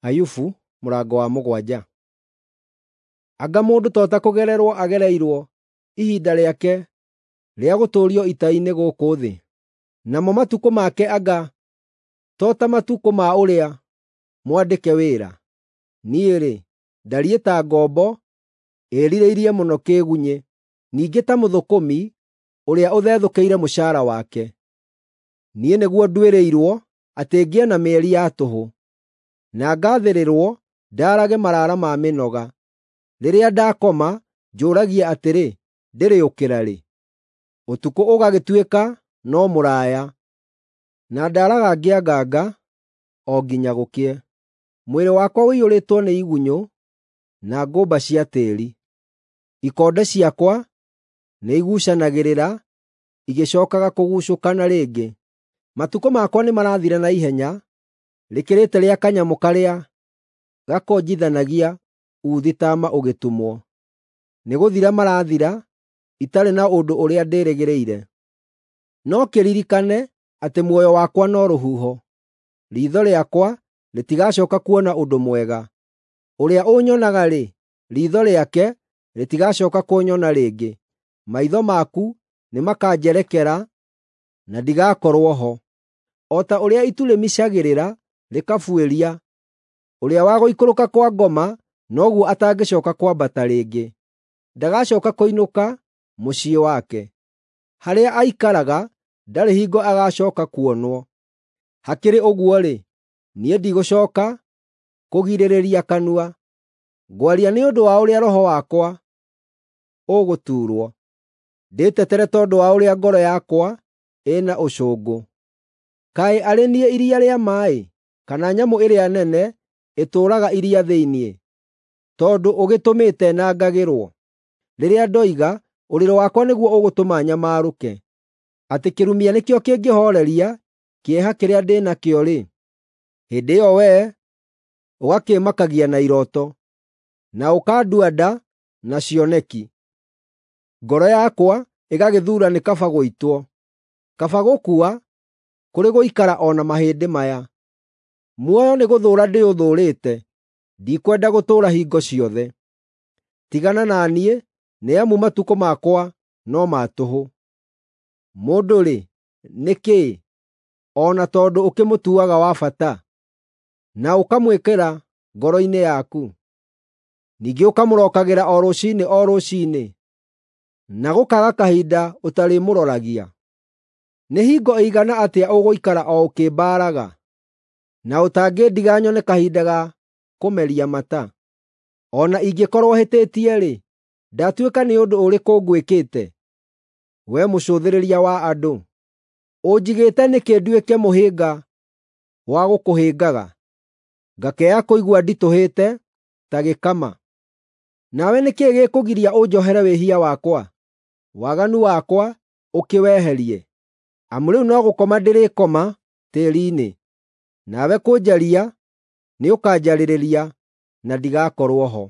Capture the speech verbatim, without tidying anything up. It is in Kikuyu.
Ayubu mũrango wa mũgwanja. Anga mũndũ to ta kũgererwo agereirwo ihinda rĩake rĩa gũtũũrio ita-inĩ gũkũ thĩ, namo matukũ make anga to ta matukũ ma ũrĩa mwandĩke wĩra? Niĩ-rĩ, ndariĩ ta ngombo ĩĩrirĩirie mũno kĩĩgunyĩ, ningĩ ta mũthũkũmi ũrĩa ũthethũkĩire mũcaara wake. Niĩ nĩguo nduĩrĩirwo atĩ ngĩe na mĩeri ya tũhũ, na ngaathĩrĩrwo ndaarage maraara ma mĩnoga. Rĩrĩa ndakoma, njũũragia atĩrĩ, ‘Ndĩrĩũkĩra rĩ?’ Ũtukũ ũgagĩtuĩka no mũraaya, na ndaaraga ngĩanganga o nginya gũkĩe. Mwĩrĩ wakwa ũiyũrĩtwo nĩ igunyũ na ngũmba cia tĩĩri. Ikonde ciakwa nĩiguucanagĩrĩra igĩcookaga kũguucũkana rĩngĩ. Matukũ makwa nĩmarathira na ihenya rĩkĩrĩte rĩa kanyamũ karĩa gakonjithanagia uuthi taama ũgĩtumwo. Nĩgũthira marathira itarĩ na ũndũ ũrĩa ndĩrĩgĩrĩire. No kĩririkane atĩ muoyo wakwa no rũhuho; riitho rĩakwa rĩtigacooka kuona ũndũ mwega. Ũrĩa ũnyonaga-rĩ, riitho rĩake rĩtigacooka kũnyona rĩngĩ. Maitho maku nĩmakanjerekera na ndigakorwo ho. O ta ũrĩa itu rĩmicagĩrĩra rĩkabuĩria, ũrĩa wa gũikũrũka kwa ngoma noguo atangĩcooka kwambata rĩngĩ. Ndagacooka kũinũka mũciĩ wake; harĩa aikaraga ndarĩ hingo agacooka kuonwo. Hakĩrĩ ũguo-rĩ, niĩ ndigũcooka kũgirĩrĩria kanua; ngwaria nĩ ũndũ wa ũrĩa roho wakwa ũgũtuurwo, ndĩtetere tondũ wa ũrĩa ngoro yakwa ĩna ũcũngũ. Kaĩ arĩ niĩ iria rĩa maaĩ, kana nyamũ ĩrĩa nene ĩtũũraga iria thĩinĩ, tondũ ũgĩtũmĩte nangagĩrwo? Rĩrĩa ndoiga, “Ũrĩrĩ wakwa nĩguo ũgũtũma nyamarũke,” atĩ kĩrumia nĩkĩo kĩngĩhooreria kĩeha kĩrĩa ndĩ nakĩo-rĩ, hĩndĩ ĩyo wee ũgakĩĩmakagia na irooto, na ũkandua nda na cioneki. Ngoro yakwa ĩgagĩthuura nĩ kaba gũitwo, kaba gũkua kũrĩ gũikara o na mahĩndĩ maya. Muoyo nĩgũthũũra ndĩũthũũrĩte, ndikwenda gũtũũra hingo ciothe. Tigana na niĩ, nĩ amu matukũ makwa no ma tũhũ. Mũndũ-rĩ, nĩ kĩĩ, o na tondũ ũkĩmũtuaga wa bata, na ũkamwĩkĩra ngoro-inĩ yaku, ningĩ ũkamũrokagĩra o rũciinĩ o rũciinĩ, na gũkaaga kahinda ũtarĩmũroragia? Nĩ hingo ĩigana atĩa ũgũikara o ũkĩmbaaraga, na ũtangĩndiga nyone kahinda ga kũmeria mata? O na ingĩkorwo hĩtĩtie-rĩ, ndatuĩka nĩ ũndũ ũrĩkũ ngwĩkĩte, wee mũcũthĩrĩria wa andũ? Ũnjigĩte nĩkĩ nduĩke mũhĩnga wa gũkũhĩngaga, ngakĩaga kũigua nditũhĩte ta gĩkama? Nawe nĩ kĩĩ gĩkũgiria ũnjohere wĩhia wakwa, waganu wakwa ũkĩweherie? Amu rĩu no gũkoma ndĩrĩkoma tĩĩri-inĩ, nawe kũnjaria nĩũkanjarĩrĩria na ndigakorwo ho.